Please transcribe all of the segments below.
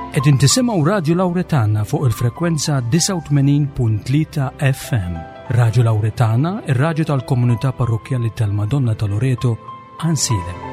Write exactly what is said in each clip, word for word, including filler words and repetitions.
Qegħdin tisimgħu Radio Lauretana fuq il-frekwenza disgħa u tmenin punt tlieta F M. Radio Lauretana, ir-radju tal-Komunità Parrokkjali tal-Madonna ta' Loreto, Għajnsielem.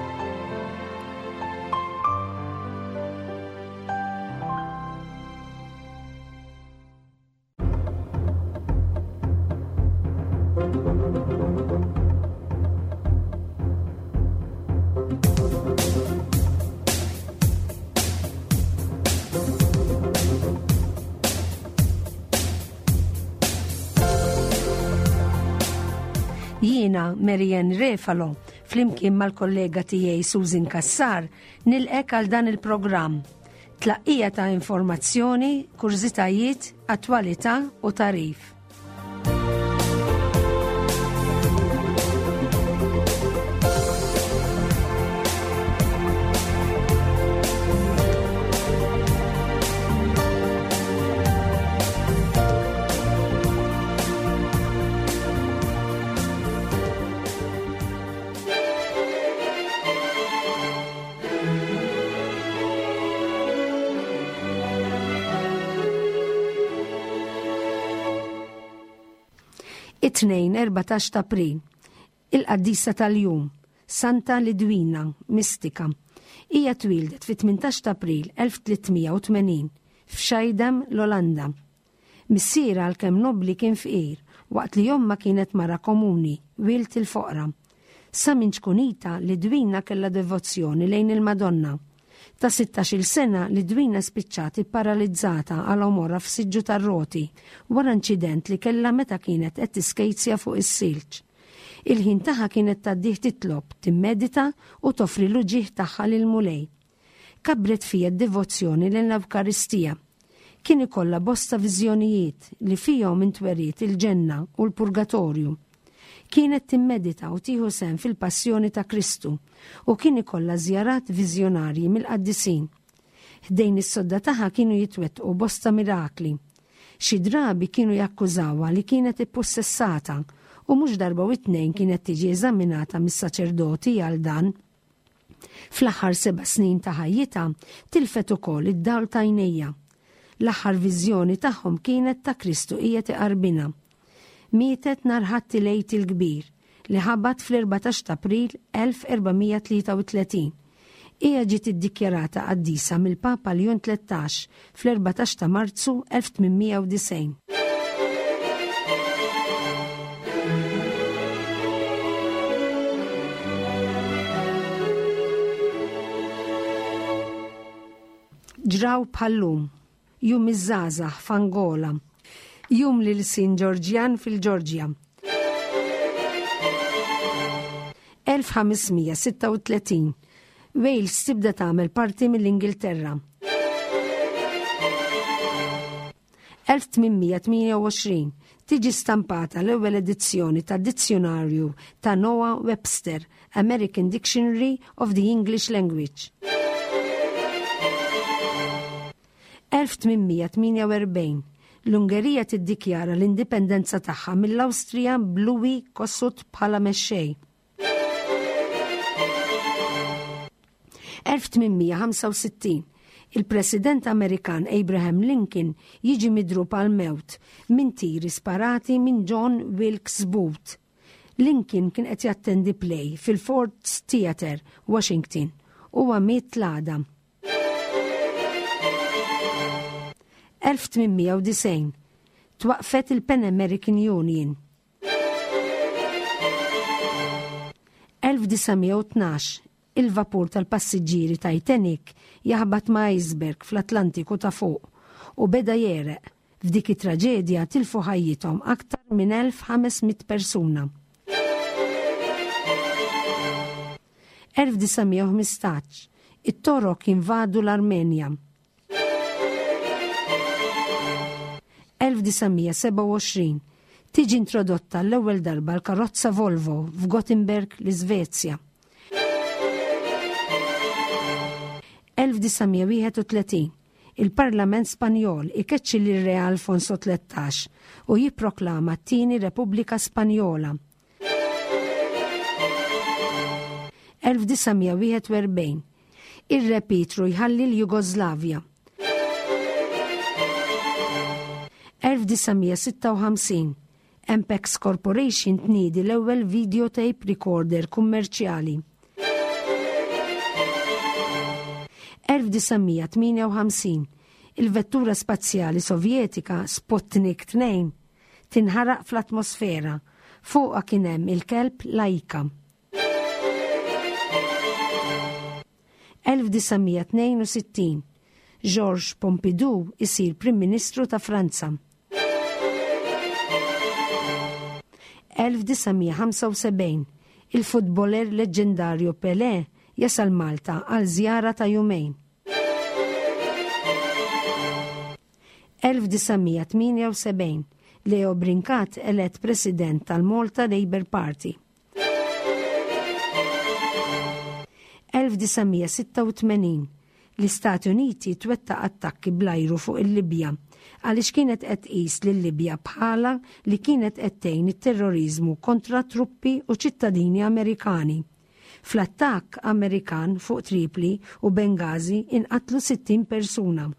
Jiena Marianne Refalo, flimkien mal-kollega tiegħi Susan Cassar, nilqek għal dan il-programm. Tlaqqija ta' informazzjoni, kurżitajiet, attwalità u tarif. It-tnejn erbatax ta' April, il-qaddisa tal-jum, Santa Lidwina, mistika. Hija twildet fit-tmintax ta' April elf tlietmija u tmenin f'Schaidam, l-Olanda. Missiera għalkemm nobli kien fqir, waqt li omma kienet mara komuni, wilt il-foqra. Sa minn ċkunita Lidwina kellha devozzjoni lejn il-Madonna. Ta' sittax-il sena Lidwina spiċċat ipparalizzata għal għomorha f'siġġu tar-roti wara inċident li kellha meta kienet qed tiskejzja fuq is-silġ. Il-ħin tagħha kienet tgħaddih titlob, timmedita u toffri l-uġigħ tagħha lil Mulej. Kabret fija d-devozzjoni lejn l-Ewkaristija. Kien ikollha bosta viżjonijiet li fihom intweriet il-ġenna u l-purgatorju. Kienet timmedita u tieħu sehem fil-passjoni ta' Kristu u kien ikollha żjarat viżjonarji mill-qaddisin. Ħdejn is-sodda tagħha kienu jitwettqu bosta mirakli. Xi drabi kienu jakkużawha li kienet ippossessata u mhux darba u tnejn kienet tiġi eżaminata mis-saċerdoti għal dan. Fl-aħħar seba' snin ta' ħajjitha tilfet ukoll id-dawl ta' għajnejha. L-aħħar viżjoni tagħhom kienet ta' Kristu qiegħed iqarbinha. Mietet nhar Ħadd il-Għid il-Kbir li ħabat fl-erbatax ta' April elf erbamija tlieta u tletin. Hija ġiet iddikjarata qaddisa mill-Papa Leon tlettax fl-erbatax ta' Marzu elf tmienmija u disgħin. Ġraw bħallum, jum iż-żgħażagħ f'Angola, jum lil Sin Ġorġjan fil-Ġorġja. elf ħamesmija sitta u tletin, Wales tibda tagħmel parti mill-Ingilterra. elf tmienmija tmienja u għoxrin, tiġi stampata l-ewwel edizzjoni ta' dizzjonarju ta' Noah Webster, American Dictionary of the English Language. elf tmienmija tmienja u erbgħin, l-Ungerija tiddikjara l-indipendenza tagħha mill-Awstrija b'Louis Kossuth bħala mexxej. elf tmienmija ħamsa u sittin, il-President Amerikan Abraham Lincoln jiġi midrub għal mewt minn tiri sparati minn John Wilkes Booth. Lincoln kien qed jattendi play fil-Ford's Theatre, Washington, u miet l-għada. elf tmienmija u disgħin, twaqfet il-Pan American Union. elf disamija u tnax, il-vapur tal-passiġġieri Titanic jaħbat ma' iceberg fl-Atlantiku ta' fuq u beda jereq. F'dik it-traġedja tilfu ħajjithom aktar minn elf ħames mitt persuna. elf disamija u ħmistax, it-Torok jinvadu l-Armenja. elf disamija sebgħa u għoxrin, tiġi introdotta l-ewwel darba l-karozza Volvo f'Gothenburg, l-Iżvezja. elf disamija wieħed u tletin, il-Parlament Spanjol ikeċċi lil Re Alfonso tlettax u jipproklama t-tieni Repubblika Spanjola. elf disamija wieħed u erbgħin, ir-Re Pietru jħalli l-Jugoslavja. elf disa' mija sitta u ħamsin, Ampex Corporation tniedi l-ewwel videotape recorder kummerċjali. elf disa' mija tmienja u ħamsin, il-vettura spazjali Sovjetika Sputnik tnejn tinħaraq fl-atmosfera. Fuqha kien hemm il-kelb Laika. elf disa' mija tnejn u sittin, Georges Pompidou isir Prim Ministru ta' Franza. elf disa' mija ħamsa u sebgħin, il-futboler leġendarju Pelé jasal Malta għal żjara ta' jumejn. elf disa' mija tmienja u sebgħin, Leo Brincat elett President tal-Malta Labour Party. elf disa' mija sitta u tmenin, l-Istati Uniti twettaq attakki bl-ajru fuq il-Libja għaliex kienet qed tqis lil-Libja bħala li kienet qed tgħin it-terrorizmu kontra truppi u ċittadini Amerikani. Fl-attakk Amerikan fuq Tripli u Benghazi inqatlu sittin persuna.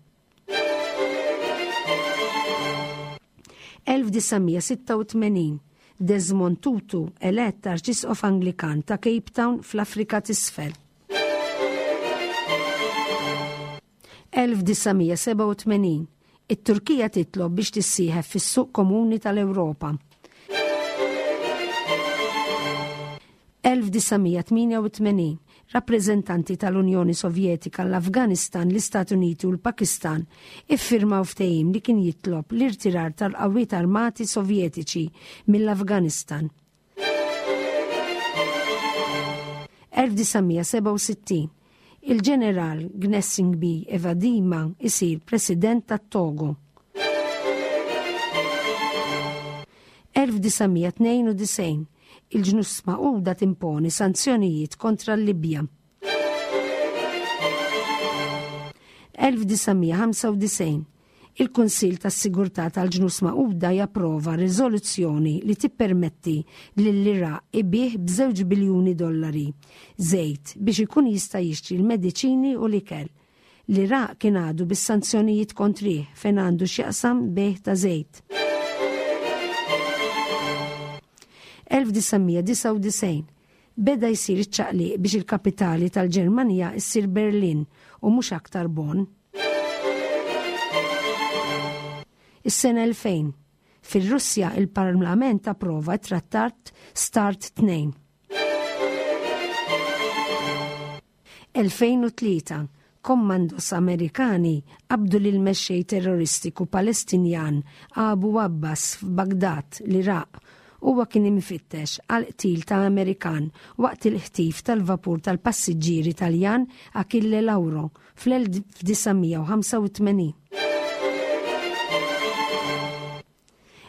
elf disa' mija sitta u tmenin, Desmond Tutu elett Arċisqof Anglikan ta' Cape Town fl-Afrika t'Isfel. elf disa' mija seba' u tmenin, it-Turkija titlob biex tissieħeb fis-suq komuni tal-Ewropa. elf disa' mija tmienja u tmenin, rappreżentanti tal-Unjoni Sovjetika, l-Afganistan, l-Istati Uniti u l-Pakistan iffirmaw ftehim li kien jitlob l-irtirar tal-qawwiet armati Sovjetiċi mill-Afganistan. elf disa' mija seba' u sittin, il-ġeneral Gnassingbé Eyadéma isir President tat-Togo. elf disa' mija tnejn u disgħin, il-ġnus Magħquda timponi sanzjonijiet kontra l-Libja. elf disa' mija ħamsa u disgħin, il-Kunsill tas-Sigurtà tal-Ġnus Magħquda japprova riżoluzzjoni li tippermetti lill-Iraq ibih b'żewġ biljuni dollari żejt biex ikun jista' jixtri l-mediċini u l-ikel. L-Iraq kien għadu bis-sanzjonijiet kontrih fejn għandu x'jaqsam bejgħ ta' żejt. elf disa' mija disgħa u disgħin, beda jsir iċ-ċaqliq biex il-kapitali tal-Ġermanja ssir Berlin u mhux aktar Bonn. Is-sena elfejn, fir-Russja il-Parlament approva t-trattat Start tnejn. elfejn u tlieta, kommandos Amerikani qabdu lil mexxej terroristiku Palestinjan Abu Abbas f'Bagdad, l-Iraq. Huwa kien imfittex għal qtil ta' Amerikan waqt il-ħtif tal-vapur tal-passiġġieri Taljan Achille Lauro fl-elf disa' mija u ħamsa u tmenin.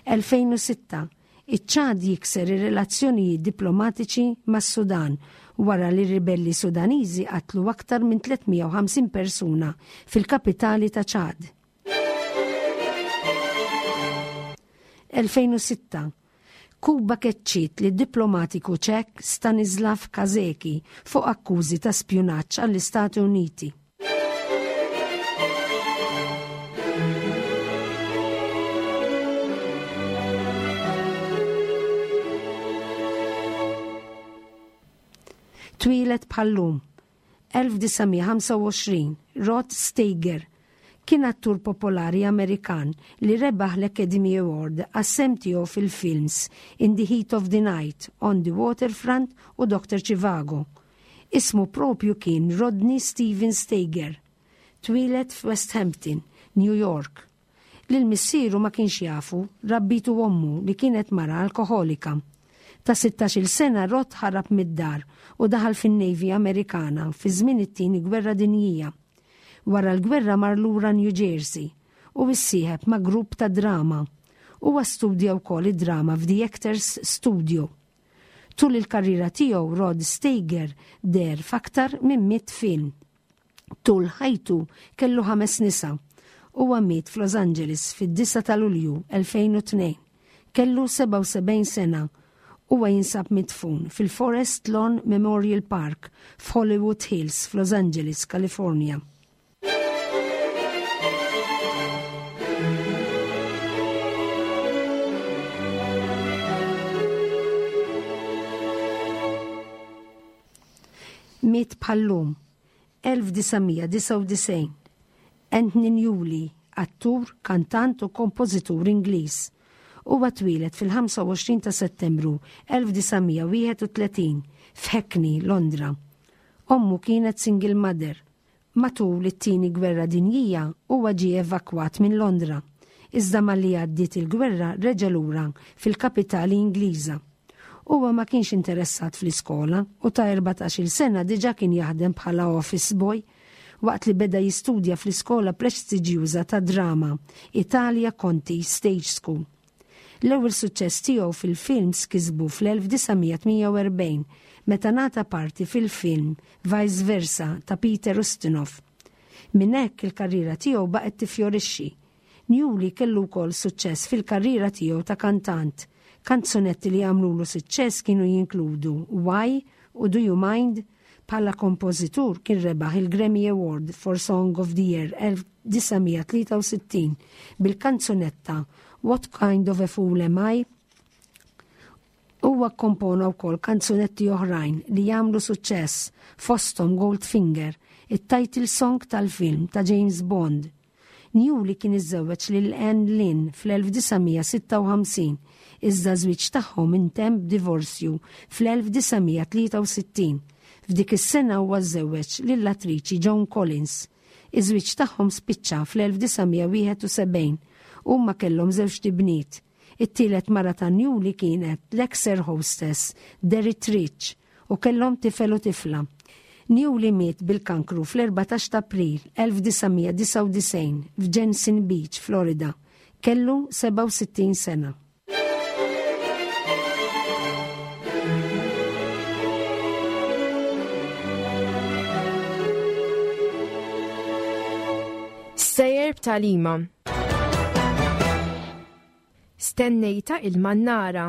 elfejn u sitta, iċ-Ċad jikser ir-relazzjonijiet diplomatiċi mas-Sudan wara li ribelli Sudaniżi qatlu aktar minn tliet mija u ħamsin persuna fil-kapitali ta' Ċad. elfejn u sitta, Kuba keċċiet li diplomatiku ċek Stanislav Kazeki fuq akkużi ta' spjunaġġ għall-Istati Uniti. Twieled bħallum, elf disa' mija ħamsa u għoxrin, Rod Steiger kien attur popolari Amerikan li rebaħ l-Academy Award għas-sehem tiegħu fil-films In the Heat of the Night, On the Waterfront u Doctor Zhivago. Ismu propju kien Rodney Steven Steiger. Twieled f'West Hampton, New York. Lil missieru ma kienx jafu, rabbitu ommu li kienet mara alkoholika. Ta' sittax-il sena Rod ħarab mid-dar u daħal fin-Navy Amerikana fi żmien it-tieni Gwerra Dinjija. Wara l-gwerra mar lura New Jersey u issieħeb ma' grupp ta' drama. Huwa studja wkoll id-drama f'The Actors Studio. Tul il-karriera tiegħu Rod Steiger deher f'aktar minn mitt film. Tul ħajtu kellu ħames nisa. Huwa miet f'Los Angeles fid-disa ta' Lulju elfejn u tnejn. Kellu sebgħa u sebgħin sena. Huwa jinsab midfun fil-Forest Lawn Memorial Park f'Hollywood Hills f'Los Angeles, California. Miet bħal-lum, elf disa' mija disgħa u disgħin, Anthony Newley, attur, kantant u kompożitur Ingliż. Huwa twieled fil-ħamsa u għoxrin ta' Settembru elf disa' mija wieħed u tletin f'Hackney, Londra. Ommu kienet single mother. Matul it-tieni gwerra dinjija huwa ġie evakwat minn Londra. Iżda malli għaddiet il-gwerra reġa' lura fil-kapitali Ingliża. Huwa ma kienx interessat fl-iskola u ta' erbatax-il sena diġà kien jaħdem bħala office boy waqt li beda jistudja fl-iskola prestiġjuża ta' drama Italia Conti Stage School. L-ewwel suċċess tiegħu fil-films kisbu fl-elf disa' mija tmienja u erbgħin meta ngħata parti fil-film Vice Versa ta' Peter Ustinov. Minn hekk il-karriera tiegħu baqgħet tifjorixxi. Newley kellu wkoll suċċess fil-karriera tiegħu ta' kantant. Kanzunetti li għamlulu suċċess kienu jinkludu Why u Do You Mind. Bħala kompożitur kien rebaħ il-Grammy Award for Song of the Year elf disa' mija tlieta u sittin bil-kanzunetta What Kind of a Fool Am I? Huwa kompona wkoll kanzunetti oħrajn li jagħmlu suċċess, fosthom Goldfinger, it-title song tal-film ta' James Bond. Newley kien iżżewweġ lil Anne Lynn fl-elf disa' mija sitta u ħamsin, iżda żwieġ tagħhom intemm b'divorzju fl-elf disa' mija tlieta u sittin. F'dik is-sena huwa żżewweġ lill-attriċi Joan Collins. Iż-żwieġ tagħhom spiċċa fl-elf disa' mija wieħed u sebgħin. Huma kellhom żewġt ibniet. It-tielet mara ta' Newley kienet l-ex air hostess Derek Rich u kellhom tifel u tifla. Newley miet bil-kankru fl-erbatax ta' April elf disa' mija disgħa u disgħin f'Jensen Beach, Florida. Kellu sebgħa u sittin sena. Stejjer b'tagħlima. Stennejta il-mannara.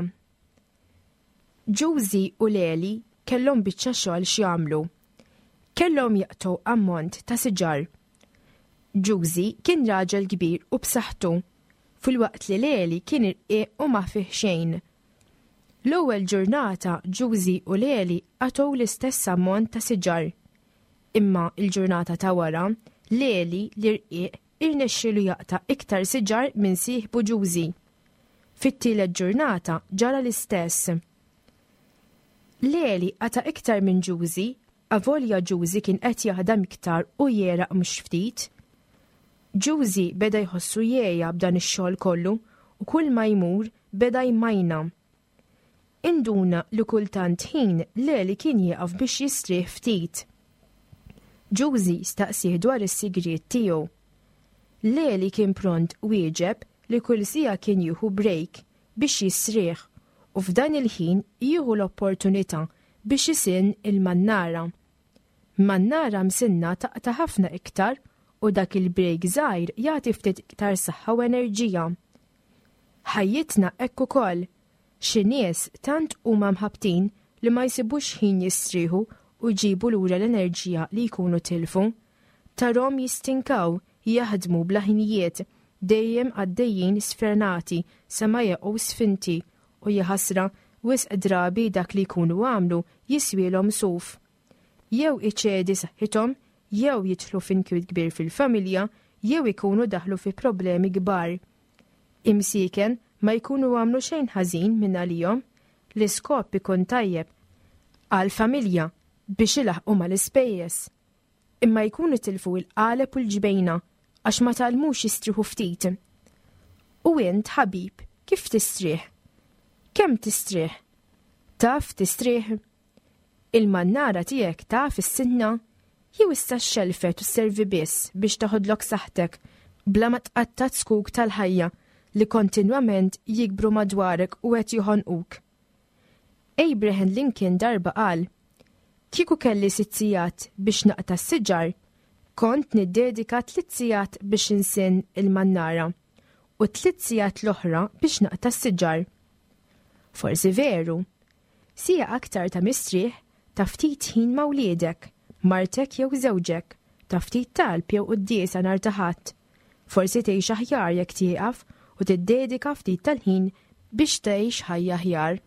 Ġużi u Leli kellhom biċċa xogħol x'jagħmlu. Kellhom jaqtgħu ammont ta' siġar. Ġużi kien raġel kbir u b'saħħtu, filwaqt li Leli kien irqiq u ma fih xejn. L-ewwel ġurnata Ġużi u Leli qatgħu l-istess ammont ta' siġar. Imma il-ġurnata ta' wara, Leli l-irqiq irnexxielu jaqta' iktar siġar minn sieħbu Ġużi. Fit-tielet ġurnata ġara l-istess. Leli qata' iktar minn Ġużi, avolja Ġużi kien qed jaħdem iktar u jegħraq mhux ftit. Ġużi beda jħossu jgħejja b'dan ix-xogħol kollu u kull ma jmur beda jmajna. Induna li kultant ħin Leli kien jieqaf biex jistrieħ ftit. Ġużi staqsih dwar is-sigriet tiegħu. Leli kien pront wieġeb li kull siegħa kien jieħu break biex jistrieħ u f'dan il-ħin jieħu l-opportunità biex isinn il-mannara. Mannara msinna taqta' ħafna iktar u dak il-break żgħir jagħti ftit iktar saħħa u enerġija. Ħajjitna hekk ukoll. Xi nies tant huma mħabtin li ma jsibux ħin jistrieħu u jġibu lura l-enerġija li jkunu tilfu. Tarahom jistinkaw, jaħdmu bla ħinijiet, dejjem għaddejjin sfrenati sa ma jaqgħu sfinti u jaħasra wisq drabi dak li jkunu għamlu jiswielhom suf. Jew iċedi saħħithom, jew jidħlu f'inkwiet kbir fil-familja, jew ikunu daħlu fi problemi kbar. Imsieken ma jkunu għamlu xejn ħażin minn għalihom, l-iskop ikun tajjeb għal-familja biex ilaħqu mal-ispejjeż. Imma jkunu tilfu il-qaleb u l-ġbejna għax ma tgħallmux jistrieħu ftit. U int, ħabib, kif tistrieħ? Kemm tistrieħ? Taf tistrieħ? Il-mannara tiegħek taf issinna? Jew issa xelfet u sservi biss biex taħodlok saħtek bla ma tqatta' zkuk tal-ħajja li kontinwament jikbru madwarek u qed joħonquk? Abraham Lincoln darba qal: "Kieku kelli sitt sigħat biex naqta' s-siġar, kont niddedika tliet sigħat biex insinn il-mannara u tliet sigħat l-oħra biex naqta' s-siġar." Forsi veru, siegħa aktar ta' mistrieħ, ta' ftit ħin ma' wliedek, martek jew żewġek, ta' ftit talb jew quddiesa nhar ta' Ħadd. Forsi tgħix aħjar jekk tieqaf u tiddedika ftit tal-ħin biex tgħix ħajja aħjar.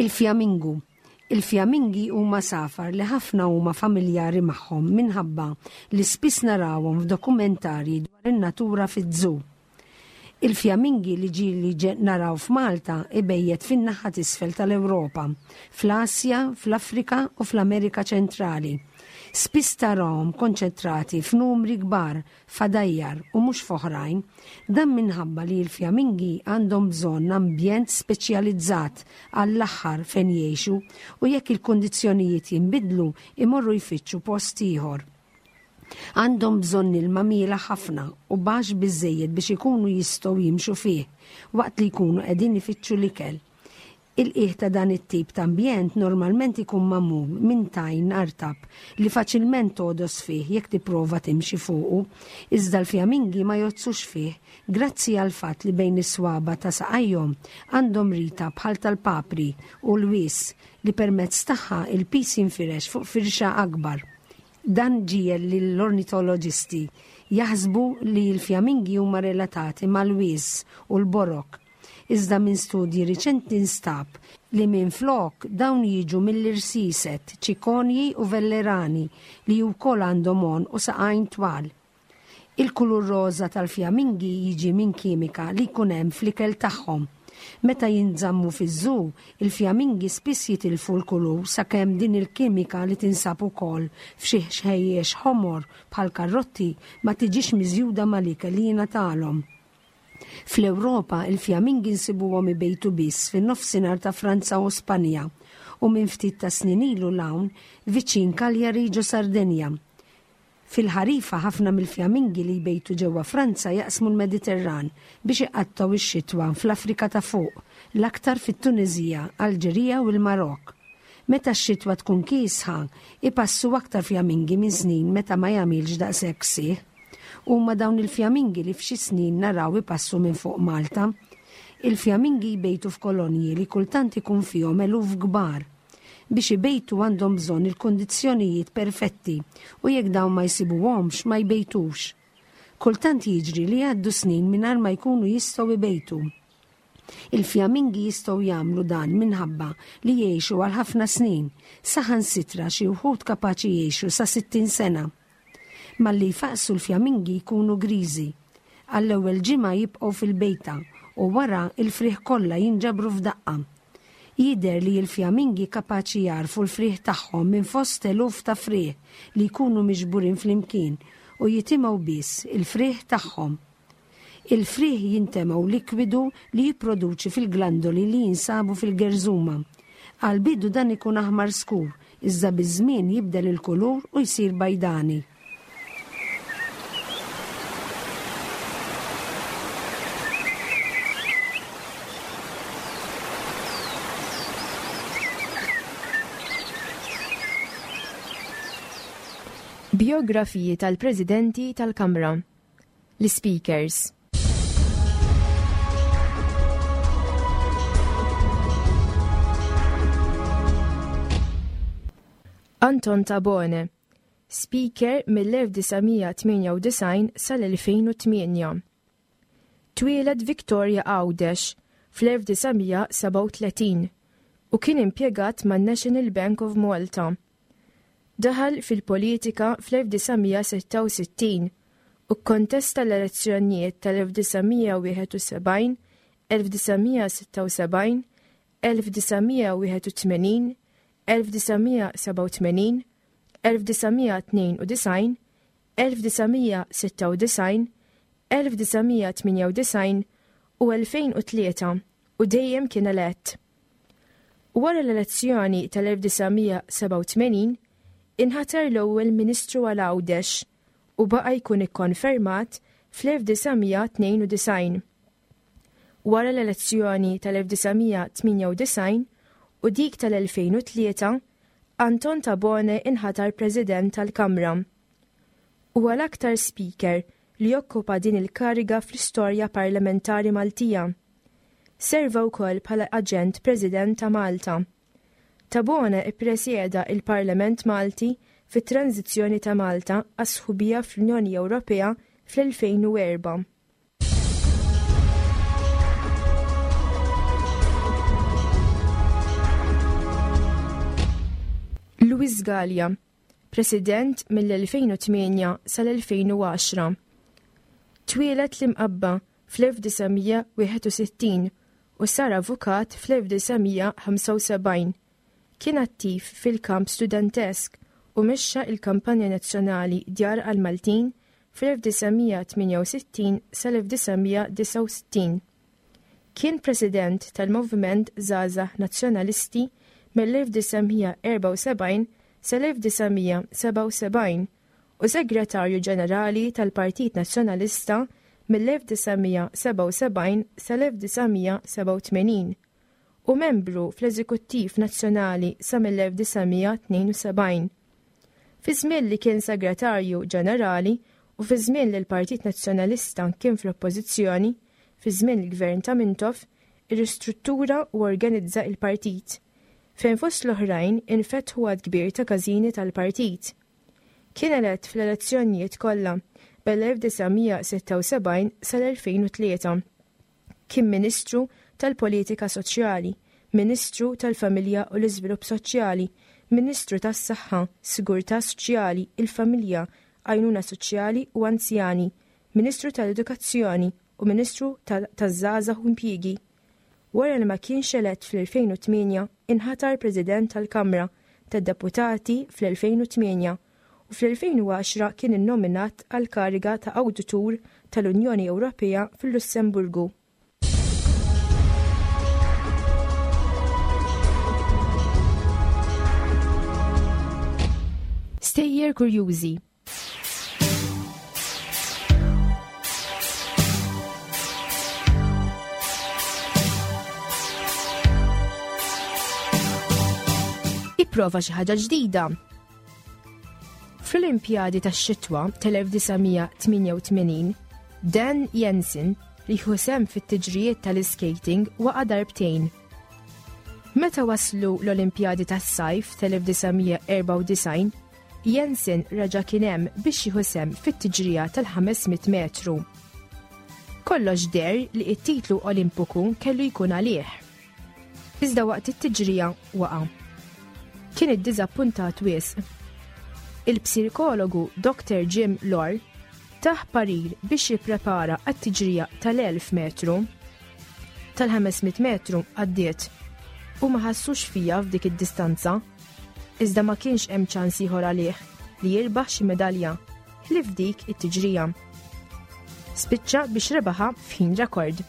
Il-fjamingu. Il-fjamingi huma safar li ħafna huma familjari magħhom minħabba li spiss narawhom f'dokumentarji dwar in-natura fiż-żoo. Il-fjamingi li ġieli naraw f'Malta ibejjet fin-naħa t'isfel tal-Ewropa, fl-Asja, fl-Afrika u fl-Amerika Ċentrali. Spiss tarahom konċentrati f'numri kbar f'għadajjar u mhux f'oħrajn, dan minħabba li l-fjamingi għandhom bżonn ambjent speċjalizzat għall-aħħar fejn jgħixu u jekk il-kundizzjonijiet jinbidlu imorru jfittxu post ieħor. Għandhom bżonn ilma miela ħafna u baxx biżżejjed biex ikunu jistgħu jimxu fih waqt li jkunu qegħdin ifittxu l-ikel. Il-qiegħ ta' dan it-tip ta' ambjent normalment ikun magħmul minn tajn artab li faċilment togħdos fih jekk tipprova timxi fuqu, iżda l-fjamingi ma jgħodsux fih grazzi għal fatt li bejn is-swaba ta' saqajhom għandhom rita bħal tal-papri u l-wies li permezz tagħha il-pis jinfirex fuq firxa akbar. Dan ġiegħel lill-ornitoloġisti jaħsbu li l-fjamingi huma relatati mal-wies u l-borok. Iżda minn studji riċenti nstab li minn flok dawn jiġu mill-irsiset, ċikonji u vellerani li wkoll għandhom għonq u saqajn twal. Il-kulur roża tal-fjamingi jiġi minn kimika li jkun hemm fl-ikel tagħhom. Meta jinżammu fiż-żoo, il-fjamingi spiss jitilfu l-kulur sakemm din il-kimika li tinsab ukoll f'xi ħxejjex ħomor bħal karrotti ma tiġix miżjuda mal-ikel li jingħatalhom. Fl-Ewropa, il-fjamingi nsibuhom ibejtu biss fin-nofsinhar ta' Franza u Spanja u minn ftit ta' snin ilu l-hawn viċin Cagliari ġo Sardenja. Fil-ħarifa ħafna mill-fjamingi li jbejtu ġewwa Franza jaqsmu l-Mediterran biex iqattgħu x-xitwa fl-Afrika ta' fuq, l-aktar fit-Tuniżija, Alġerija u l-Marok. Meta x-xitwa tkun kiesħa, ipassu aktar fjamingi minn snin meta ma jagħmilx daqshekk sieħ. Huma dawn il-fjamingi li f'xi snin naraw ipassu minn fuq Malta. Il-fjamingi jbejtu f'kolonji li kultant ikun fihom eluf kbar. Biex ibejtu għandhom bżonn il-kundizzjonijiet perfetti u jekk dawn ma jsibuhomx ma jbejtux. Kultant jiġri li jgħaddu snin mingħajr ma jkunu jistgħu jbejtu. Il-fjamingi jistgħu jagħmlu dan minħabba li jgħixu għal ħafna snin, saħansitra xi wħud kapaċi jgħixu sa sittin sena. Malli jfaqsu l-fjamingi jkunu griżi. Għall-ewwel ġimgħa jibqgħu fil-bejta u wara il-frieħ kollha jinġabru f'daqqa. Jidher li l-fjamingi kapaċi jarfu l-frieħ tagħhom minn fost eluf ta' frieħ li jkunu miġburin flimkien u jitimgħu biss il-frieħ tagħhom. Il-frieħ jintemgħu likwidu li jipproduċi fil-glandoli li jinsabu fil-gerżuma. Għal-bidu dan ikun aħmar skur, iżda biż-żmien jibdel il-kulur u jsir bajdani. Biografiji tal-Presidenti tal-Kamra. L-Speakers. Anton Tabone, Speaker mill-elf disa' mija tmienja u disgħin sal-elfejn u tmienja. Twieled Victoria Għawdex fl-elf disa' mija seba' u tletin u kien impjegat man-National Bank of Malta. Daħal fil-politika fl-elf disa' mija sitta u sittin u kkontesta l-elezzjonijiet tal-elf disa' mija wieħed u sebgħin, elf disa' mija sitta u sebgħin, elf disa' mija wieħed u tmenin, elf disa' mija seba' u tmenin, elf disa' mija tnejn u disgħin, elf disa' mija sitta u disgħin, elf disa' mija tmienja u disgħin u elfejn u tlieta u dejjem kien elett. Wara l-elezzjoni tal-elf disa' mija seba' u tmenin, inħatar l-ewwel Ministru għal Għawdex u baqa' jkun ikkonfermat fl-elf disa' mija tnejn u disgħin. Wara l-elezzjoni tal-elf disa' mija tmienja u disgħin u dik tal-elfejn u tlieta, Anton Tabone inħatar President tal-Kamra. Huwa l-aktar speaker li jokkupa din il-kariga fl-istorja parlamentari Maltija. Serva wkoll bħala Aġent President ta' Malta. Tabone ippresjeda il-Parlament Malti fit-tranzizzjoni ta' Malta għas-sħubija fl-Unjoni Ewropea fl-elfejn u erba'. Louis Galea, President mill-elfejn u tmienja sal-elfejn u għaxra. Twieled l-Imqabba fl-elf disa' mija wieħed u sittin u sar avukat fl-elf disa' mija ħamsa u sebgħin. Kien attiv fil-kamp studentesk u mexxa il-kampanja nazzjonali Djar għal-Maltin fl-elf disa' mija tmienja u sittin sal-elf disa' mija disgħa u sittin. Kien president tal-Moviment Żgħażagħ Nazzjonalisti mill-elf disa' mija erbgħa u sebgħin sal-elf disa' mija sebgħa u sebgħin u segretarju ġenerali tal-Partit Nazzjonalista mill-elf disa' mija sebgħa u sebgħin sal-elf disa' mija sebgħa u tmenin u membru fl-Eżekuttiv Nazzjonali sa mill-elf disa' mija tnejn u sebgħin. Fi żmien li kien segretarju ġenerali u fi żmien li l-Partit Nazzjonalista kien fl-Oppożizzjoni, fi żmien il-Gvern ta' Mintoff, irristruttura u organizza il-partit, fejn fost l-oħrajn infetħu għadd kbir ta' każini tal-partit. Kien elett fl-elezzjonijiet kollha bel-elf disa' mija sitta u sebgħin sal-elfejn u tlieta. Kien Ministru tal-Politika Soċjali, Ministru tal-Familja u l-Iżvilupp Soċjali, Ministru tas-Saħħa, Sigurtà Soċjali, il-Familja, Għajnuna Soċjali u Anzjani, Ministru tal-Edukazzjoni u Ministru tal-, taż-Żgħażagħ u Impjiegi. Wara li ma kienx elett fl-elfejn u tmienja, inħatar President tal-Kamra tad-Deputati fl-elfejn u tmienja u fl-elfejn u għaxra kien innominat għal kariga ta' Awditur tal-Unjoni Ewropea fil-Lussemburgu. Stejjer kurjużi. Ipprova xi ħaġa ġdida. Fl-Olimpjadi tax-xitwa tal-elf disa' mija tmienja u tmenin, Dan Jensen li jieħu sehem fit-tiġrijiet tal-skating waqa' darbtejn. Meta waslu l-Olimpjadi tas-sajf tal-elf disa' mija erbgħa u disgħin, Jensen reġa' kien hemm biex jieħu sehem fit-tiġrija tal-ħames mitt metru. Kollox deher li t-titlu Olimpiku kellu jkun għalih. Iżda waqt it-tiġrija waqa'. Kien iddiżappuntat wisq. Il-psikologu Doktor Jim Loehr tah parir biex jipprepara għat-tiġrija tal-elf metru. Tal-ħames mitt metru għaddiet u ma ħassux fija f'dik id-distanza. Iżda ma kienx hemm ċans ieħor għalih li jirbaħ xi medalja ħlief dik it-tiġrija. Spiċċa biex rebaħha f'ħin rekord.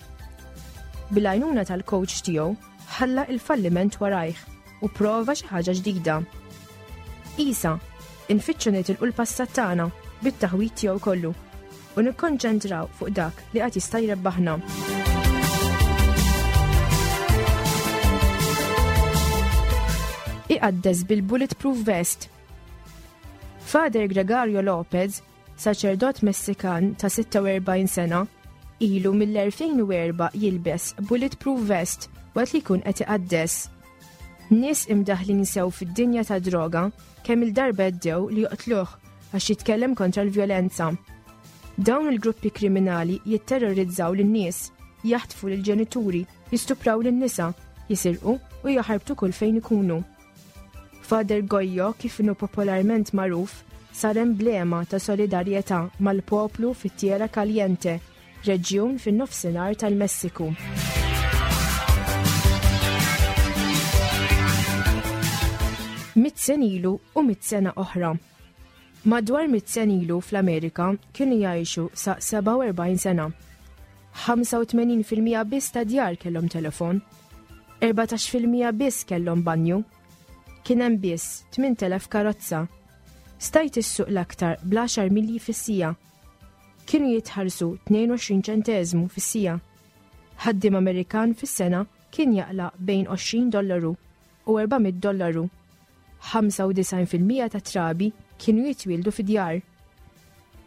Bil-għajnuna tal-coach tiegħu ħalla il-falliment warajh u prova xi ħaġa ġdida. Isa, infittxu nitilqu l-passat tagħna bit-taħwit tiegħu kollu u nikkonċentraw fuq dak li qatt jista' jrebbaħna. Iqaddes bil-bulletproof vest. Father Gregorio Lopez, saċerdot Messikan ta' sitta u erbgħin sena, ilu mill-elfejn u erba' jilbes bulletproof vest waqt li jkun qed iqaddes. Nies imdaħlin sew fid-dinja ta' droga kemm il-darba għeddew li joqtluh għax jitkellem kontra l-vjolenza. Dawn il-gruppi kriminali jitterrorizzaw lin-nies, jaħtfu lill-ġenituri, jistupraw lin-nisa, jisirqu u jaħarbtu kull fejn ikunu. Father Goyo, kif inhu popolarment magħruf, sar emblema ta' solidarjetà mal-poplu fit-Tierra Caliente, reġjun fin-nofsinhar tal-Messiku. Mitt sen ilu u mitt sena oħra. Madwar mitt sen ilu fl-Amerika kienu jgħixu sa sebgħa u erbgħin sena. ħamsa u tmenin fil-mija biss ta' djar kellhom telefon, erbatax fil-mija biss kellhom banju, kien hemm biss tmien telef karozza. Stajt issuq l-aktar bl-għaxar milji fis-sija. Kienu jitħallsu tnejn u għoxrin ċenteżmu fis-sija. Ħaddiem Amerikan fis-sena kien jaqla' bejn għoxrin dollaru u erba' mitt dollaru. ħamsa u disgħin fil-mija ta' trabi kienu jitwieldu fi djar.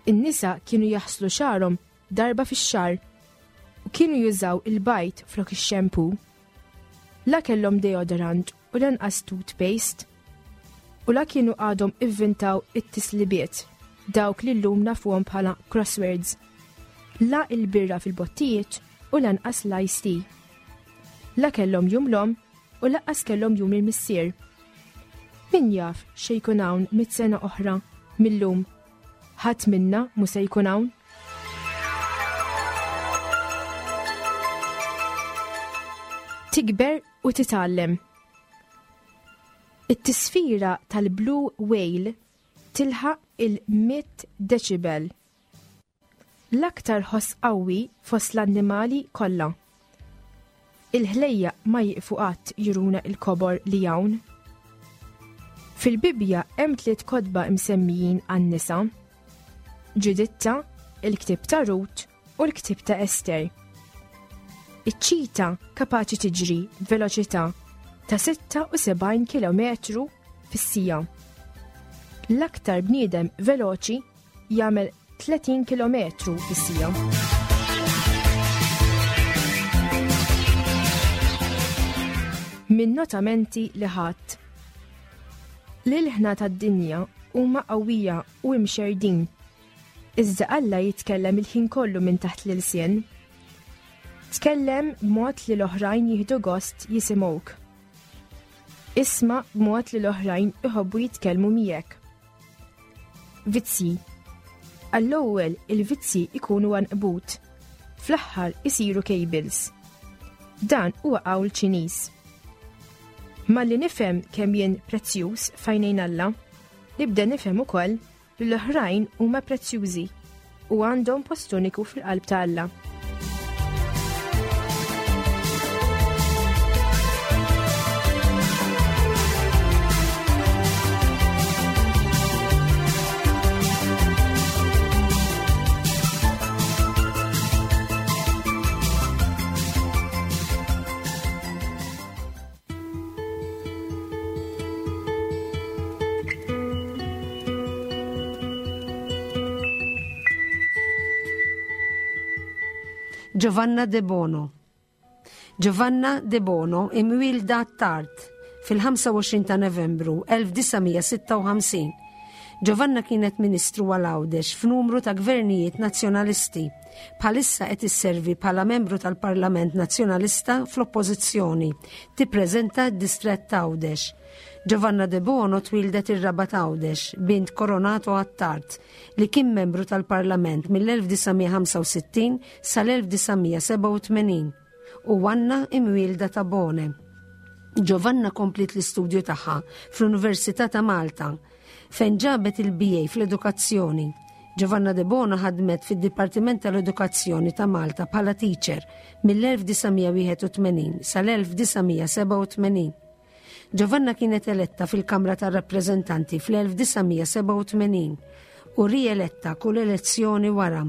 In-nisa kienu jaħslu xagħarhom darba fix-xahar u kienu jużaw il-bajt flok ix-shampoo. La kellhom deodorant u lanqas toothpaste u la kienu għadhom ivvintaw it-tislibiet, dawk li llum nafuhom bħala crosswords. La il-birra fil-bottijiet u lanqas l-iced tea. La kellhom jum l-omm u lanqas kellhom jum il-missier. Min jaf xi jkun hawn mitt sena oħra mil-lum? Ħadd minna mhu se jkun hawn. Tikber u titgħallem. It-tisfira tal-Blue Whale tilħaq il-mitt decibel. L-aktar ħoss qawwi fost l-annimali kollha. Il-ħlejjaq ma jieqfu qatt juruna il-kobor li hawn. Fil-Bibbja hemm tliet kotba msemmijin għan-nisa: Ġuditta, il-ktieb ta' Rut u l-ktieb ta' Ester. Iċ-ċita kapaċi tiġri b'veloċità ta' sitta u sebgħin kilometru fis-sija. L-aktar bniedem veloċi jagħmel tletin kilometru fis-sija. Min notamenti li ħadd. L-ilħna tad-dinja huma qawwija u imxerdin. Iżda Alla jitkellem il-ħin kollu minn taħt l-ilsien. Tkellem b'mod li l-oħrajn jieħdu gost jisimgħuk. Isma' b'mod li l-oħrajn iħobbu jitkellmu miegħek. Vizzji. Għall-ewwel il-vizzji ikunu għanqbut, fl-aħħar isiru cables. Dan huwa qawl Ċiniż. Malli nifhem kemm jien prezzjuż f'għajnejn Alla, nibda nifhem ukoll li l-oħrajn huma prezzjużi u għandhom post uniku fil-qalb ta' Alla. Giovanna De Bono. Giovanna De Bono imwielda tard fil-ħamsa u għoxrin ta' Novembru elf disa' mija sitta u ħamsin. Giovanna kienet ministru għal Għawdex f'numru ta' gvernijiet nazzjonalisti. Bħalissa qed isservi bħala membru tal-Parlament Nazzjonalista fl-Oppożizzjoni, tippreżenta d-distrett ta' Għawdex. Giovanna De Bono twildet ir-Rabat Għawdex, bint Coronato Attard, li kien membru tal-Parlament mill-elf disa' mija ħamsa u sittin sal-elf disa' mija sebgħa u tmenin u Anna imwielda ta' Bone. Giovanna komplit l-istudju tagħha fl-Università ta' Malta, fejn ġabet il-B A fl-edukazzjoni. Giovanna De Bono ħadmet fid-Dipartiment tal-Edukazzjoni ta' Malta bħala teacher mill-elf disa' mija wieħed u tmenin sal-elf disa' mija sebgħa u tmenin. Giovanna kienet eletta fil-Kamra tar-Rappreżentanti fl-elf disa' mija sebgħa u tmenin u rieletta kull elezzjoni wara.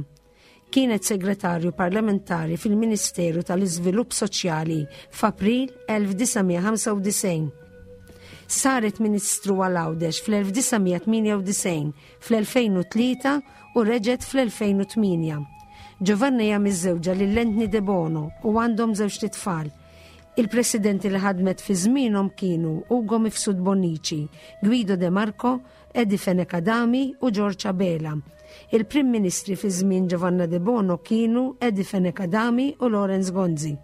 Kienet segretarju parlamentari fil-Ministeru tal-Iżvilupp Soċjali f'April elf disa' mija ħamsa u disgħin. Saret Ministru għal Għawdex fl-elf disa' mija tmienja u disgħin, fl-elfejn u tlieta u reġgħet fl-elfejn u tmienja. Giovanna hija miżżewġa lil Anthony De Bono u għandhom żewġt itfal. Il-presidenti li ħadmet fi żmienhom kienu Ugo Mifsud Bonnici, Guido De Marco, Eddie Fenech Adami u George Abela. Il-Prim Ministri fi żmien Giovanna De Bono kienu Eddie Fenech Adami u Lawrence Gonzi.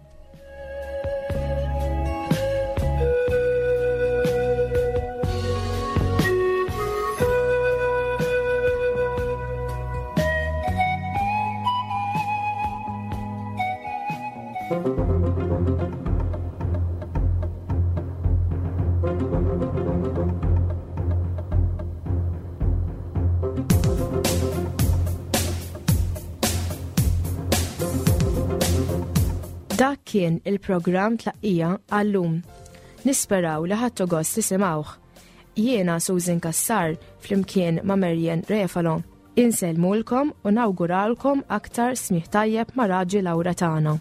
Dak kien il-programm Tlaqqija għallum. Nisperaw li ħadtu gost tisimgħuh. Jiena Susan Cassar flimkien ma' Marian Refalo. Insellmulkom u nawguralkom aktar smigħ tajjeb ma' Raġi Laura tagħna.